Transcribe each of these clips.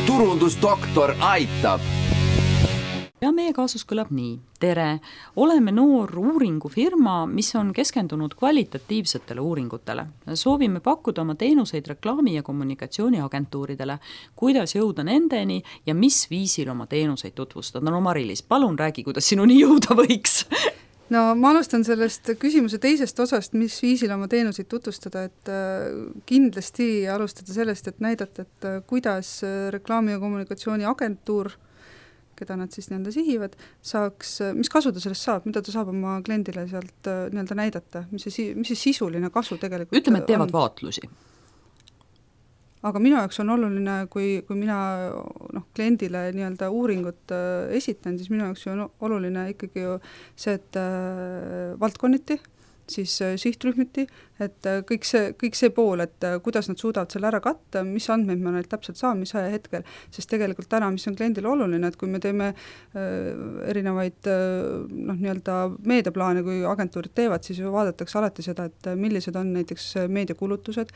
turundusdoktor aitab. Ja meie kaasus kõlab nii. Tere, oleme noor uuringufirma, mis on keskendunud kvalitatiivsetele uuringutele. Soovime pakkuda oma teenuseid reklaami- ja kommunikatsiooniagentuuridele, kuidas jõuda nendeni ja mis viisil oma teenuseid tutvustada. No Mari-Liis, palun räägi, kuidas sinuni jõuda võiks. No ma alustan sellest küsimuse teisest osast, mis viisil oma teenuseid tutvustada, et kindlasti alustada sellest, et näidata, et kuidas reklaami- ja kommunikatsiooniagentuur, keda nad siis nii-öelda sihivad, saaks, mis kasu ta sellest saab, mida ta saab oma kliendile sealt nii-öelda näidata, mis see sisuline kasu tegelikult ütleme, et teevad vaatlusi. Aga minu jaoks on oluline, kui mina kliendile nii-öelda uuringut esitan, siis minu jaoks on oluline ikkagi ju see, et valdkonniti, siis sihtrühmiti, et kõik see pool, et kuidas nad suudavad selle ära katta, mis andmeid ma neilt täpselt saan, mis ajahetkel, sest tegelikult täna, mis on kliendile oluline, et kui me teeme erinevaid nii-öelda meediaplaane, kui agentuurid teevad, siis vaadatakse alati seda, et millised on näiteks meediakulutused,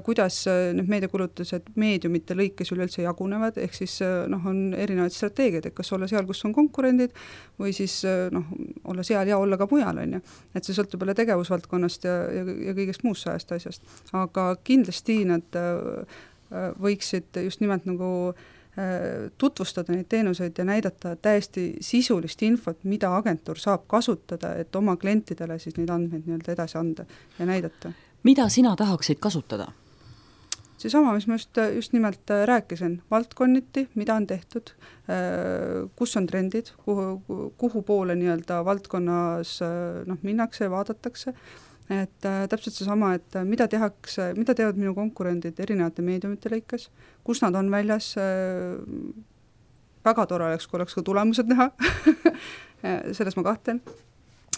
kuidas need meediakulutused meediumite lõikes üleüldse jagunevad, ehk siis on erinevaid strateegiad, et kas olla seal, kus on konkurendid, või siis olla seal ja olla ka mujal, on ju. Et see sõltub jälle tegevusvaldkonnast ja kõigest muust sajast asjast. Aga kindlasti nad võiksid just nimelt nagu tutvustada neid teenuseid ja näidata täiesti sisulist infot, mida agentuur saab kasutada, et oma klientidele siis neid andmeid nii-öelda edasi anda ja näidata. Mida sina tahaksid kasutada? Seesama, mis ma just nimelt rääkisin, valdkonniti, mida on tehtud, kus on trendid, kuhu poole nii-öelda valdkonnas minnakse ja vaadatakse, et täpselt seesama, et mida teevad minu konkurendid erinevate meediumite lõikes, kus nad on väljas, väga tore oleks, kui oleks ka tulemused näha, selles ma kahtlen.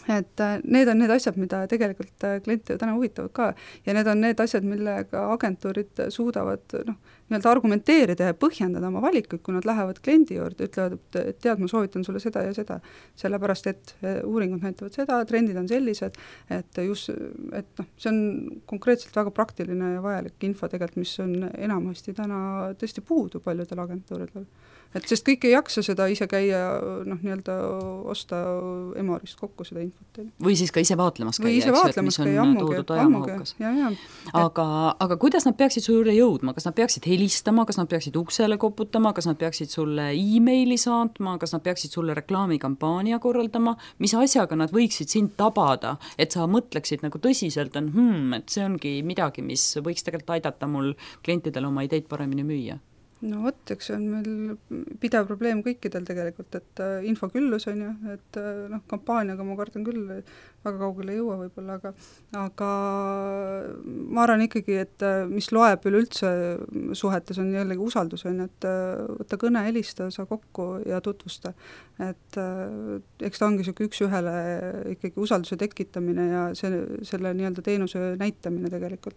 Et need on need asjad, mida tegelikult kliente täna huvitavad ka ja need on need asjad, millega agentuurid suudavad nii-öelda argumenteerida ja põhjendada oma valikuid, kui nad lähevad kliendi juurde, ütlevad, et tead, ma soovitan sulle seda ja seda, sellepärast, et uuringud näitavad seda, trendid on sellised, et see on konkreetselt väga praktiline ja vajalik info tegelikult, mis on enamasti täna tõesti puudu paljudel agentuuridel. Et sest kõik ei jaksa seda ise käia, nii-öelda osta Emorist kokku seda infot. Või siis ka ise vaatlemas käia, või ise vaatlemas käia, ammugi. Aga kuidas nad peaksid su juurde jõudma? Kas nad peaksid helistama, kas nad peaksid uksele koputama, kas nad peaksid sulle e-maili saatma, kas nad peaksid sulle reklaamikampaania korraldama, mis asjaga nad võiksid sind tabada, et sa mõtleksid nagu tõsiselt, et see ongi midagi, mis võiks tegelikult aidata mul klientidele oma ideid paremini müüa? No vot, eks see on meil pidev probleem kõikidel tegelikult, et info küllus on ju, et kampaaniaga ma kardan küll, väga kaugele ei jõua võib-olla, aga ma arvan ikkagi, et mis loeb üleüldse suhetes on jällegi usaldus, on, et võtta kõne, helista, saa kokku ja tutvusta. Et eks ta ongi üks ühele ikkagi usalduse tekitamine ja selle nii-öelda teenuse näitamine tegelikult.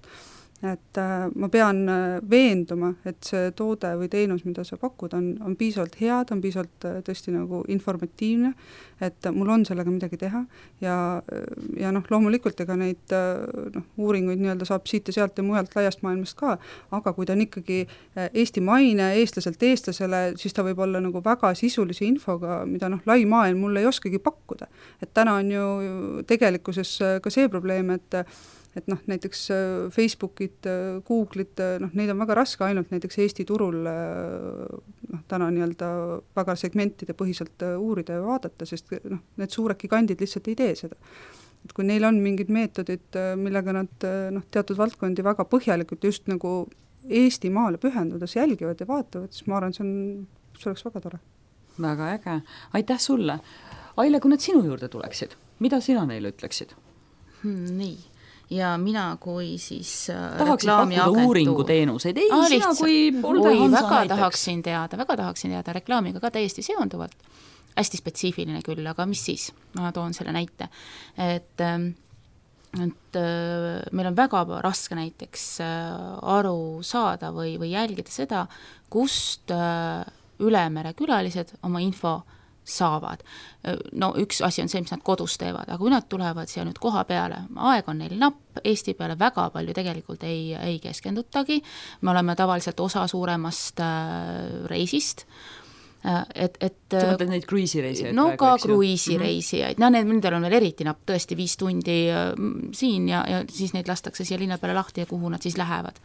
Et ma pean veenduma, et see toode või teenus, mida sa pakud, on piisavalt head, on piisavalt tõesti nagu informatiivne, et mul on sellega midagi teha ja loomulikult ega neid uuringuid nii-öelda saab siit ja sealt ja mujalt laiast maailmast ka, aga kui ta on ikkagi Eesti maine, eestlaselt eestlasele, siis ta võib olla nagu väga sisulise infoga, mida lai maailm mulle ei oskagi pakkuda. Et täna on ju tegelikkuses ka see probleem, et näiteks Facebookid, Google'id, neid on väga raske ainult näiteks Eesti turul täna nii-öelda väga segmentide põhiselt uurida ja vaadata, sest need suured gigandid lihtsalt ei tee seda. Et kui neil on mingid meetodid, millega nad teatud valdkondi väga põhjalikult just nagu Eesti maale pühendudes jälgivad ja vaatavad, siis ma arvan, see oleks väga tore. Väga äge. Aitäh sulle. Aile, kui nad sinu juurde tuleksid, mida sina neile ütleksid? Nii. Ja mina kui siis tahaksid pakkuda uuringuteenuseid, sina kui Olde Hansa näiteks. Väga tahaksin teada reklaamiga ka täiesti seonduvalt, hästi spetsiifiline küll, aga mis siis? Ma toon selle näite, et meil on väga raske näiteks aru saada või jälgida seda, kust ülemere külalised oma info saavad. No üks asi on see, mis nad kodus teevad, aga kui nad tulevad siia nüüd koha peale, aeg on neil napp, Eesti peale väga palju tegelikult ei keskendutagi, me oleme tavaliselt osa suuremast reisist, et sa mõtled neid kruiisireisijaid? No praegu, ka kruiisireisijaid, nendel on veel eriti napp, tõesti 5 tundi siin ja siis neid lastakse siia linna peale lahti ja kuhu nad siis lähevad.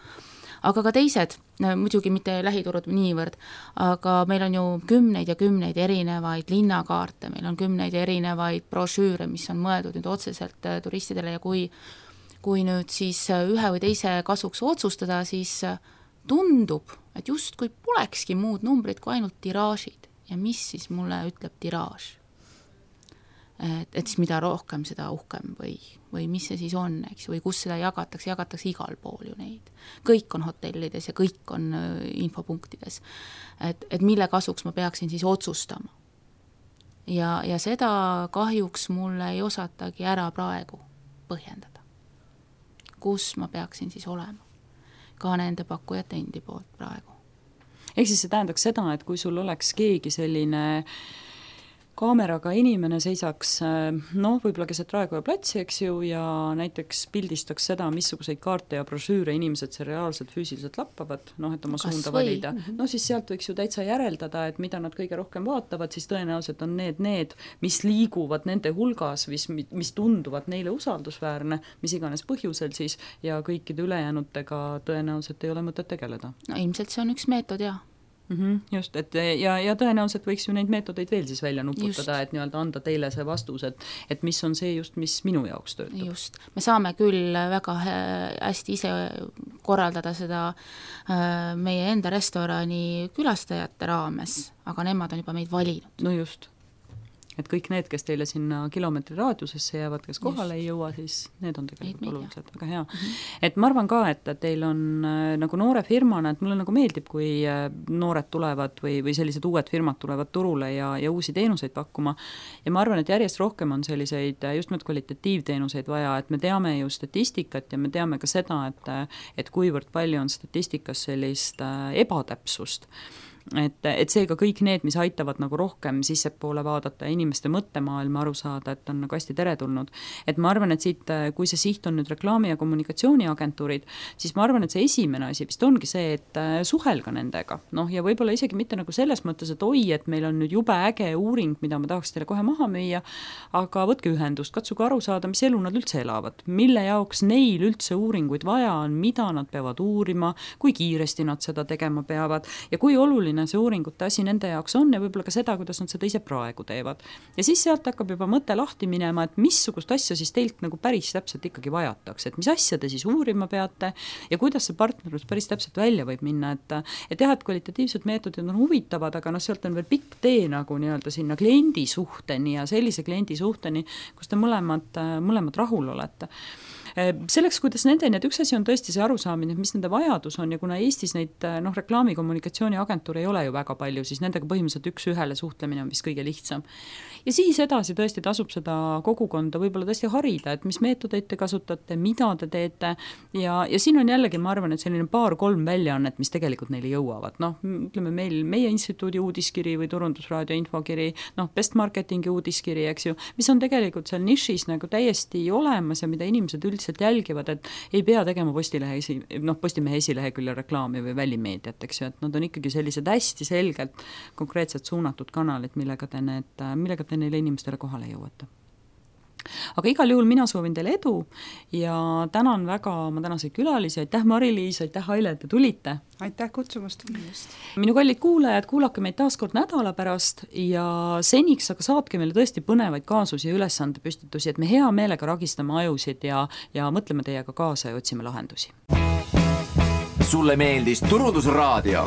Aga ka teised, muidugi mitte lähiturud niivõrd, aga meil on ju kümneid ja kümneid erinevaid linnakaarte, meil on kümneid erinevaid brošüüre, mis on mõeldud nüüd otseselt turistidele ja kui nüüd siis ühe või teise kasuks otsustada, siis tundub, et just kui polekski muud numbrid kui ainult tiraažid. Ja mis siis mulle ütleb tiraaž? Et siis mida rohkem, seda uhkem või mis see siis on, eks, või kus seda jagatakse igal pool ju neid. Kõik on hotellides ja kõik on infopunktides. Et mille kasuks ma peaksin siis otsustama. Ja seda kahjuks mulle ei osatagi ära praegu põhjendada. Kus ma peaksin siis olema? Ka nende pakkujate endi poolt praegu. Ehk siis see tähendaks seda, et kui sul oleks keegi selline kaameraga inimene seisaks, võib-olla keset Raekoja platsi, eks ju, ja näiteks pildistaks seda, missuguseid kaarte ja brošüüre inimesed see reaalselt füüsiliselt lappavad, et oma suunda valida. Siis sealt võiks ju täitsa järeldada, et mida nad kõige rohkem vaatavad, siis tõenäoliselt on need, mis liiguvad nende hulgas, mis tunduvad neile usaldusväärne, mis iganes põhjusel siis, ja kõikide ülejäänutega tõenäoliselt ei ole mõtet tegeleda. No ilmselt see on üks meetod, jah. Just, et ja tõenäoliselt võiks ju neid meetodeid veel siis välja nuputada, et nii-öelda anda teile see vastus, et mis on see just, mis minu jaoks töötab. Just, me saame küll väga hästi ise korraldada seda meie enda restorani külastajate raames, aga nemad on juba meid valinud. No just. Et kõik need, kes teile sinna kilomeetri raadiusesse jäävad, kes kohale ei jõua, siis need on tegelikult olulised, väga hea. Et ma arvan ka, et teil on nagu noore firmana, et mulle nagu meeldib, kui noored tulevad või sellised uued firmad tulevad turule ja uusi teenuseid pakkuma. Ja ma arvan, et järjest rohkem on selliseid just kvalitatiivteenuseid vaja, et me teame ju statistikat ja me teame ka seda, et kuivõrd palju on statistikas sellist ebatäpsust. Et seega kõik need, mis aitavad nagu rohkem sissepoole vaadata ja inimeste mõttemaailma aru saada, et on nagu hästi teretulnud. Et ma arvan, et siit, kui see siht on nüüd reklaami- ja kommunikatsiooniagentuurid, siis ma arvan, et see esimene asi vist ongi see, et suhelga nendega. Ja võib-olla isegi mitte nagu selles mõttes, et et meil on nüüd jube äge uuring, mida ma tahaks teile kohe maha müüa, aga võtke ühendust, katsuge aru saada, mis elu nad üldse elavad, mille jaoks neil üldse uuringuid vaja on, mida nad peavad uurima, kui kiiresti nad seda tegema peavad ja kui oluline see uuringute asi nende jaoks on ja võib-olla ka seda, kuidas nad seda ise praegu teevad. Ja siis sealt hakkab juba mõte lahti minema, et missugust asja siis teilt nagu päris täpselt ikkagi vajatakse, et mis asja te siis uurima peate ja kuidas see partnerlus päris täpselt välja võib minna, et jah, et kvalitatiivsed meetodid on huvitavad, aga sealt on veel pikk tee nagu nii-öelda sinna kliendi suhteni ja sellise kliendi suhteni, kus te mõlemad rahul olete. Selleks, kuidas nendeni, et üks asi on tõesti see arusaamine, mis nende vajadus on ja kuna Eestis neid reklaami-kommunikatsiooniagentuure ei ole ju väga palju, siis nendega põhimõtteliselt üks-ühele suhtlemine on vist kõige lihtsam. Ja siis edasi tõesti tasub seda kogukonda võib-olla tõesti harida, et mis meetodeid te kasutate, mida te teete ja siin on jällegi, ma arvan, et selline 2-3 väljaannet, mis tegelikult neile jõuavad. Ütleme meie instituudi uudiskiri või Turundusraadio infokiri, Best Marketingi uudiskiri, eks ju, mis on tegelikult seal nišis nagu täiesti olemas ja mida inimesed üldiselt jälgivad, et ei pea tegema Postimehe esilehekülje reklaami või välimeediat, eks ju, et nad on ikkagi sellised hästi selgelt konkreetselt suunatud kanalid, millega te neile inimestele kohale jõuate. Aga igal juhul mina soovin teile edu ja tänan väga oma tänaseid külalisi, aitäh Mari-Liis, aitäh Aile, et te tulite. Aitäh kutsumast. Minu kallid kuulajad, kuulake meid taas kord nädala pärast ja seniks aga saatke meile tõesti põnevaid kaasusi ja ülesandepüstitusi, et me hea meelega ragistame ajusid ja mõtleme teiega kaasa ja otsime lahendusi. Sulle meeldis Turundusraadio?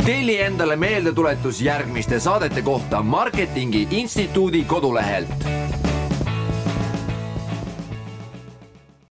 Telli endale meeldetuletus järgmiste saadete kohta Marketingi Instituudi kodulehelt.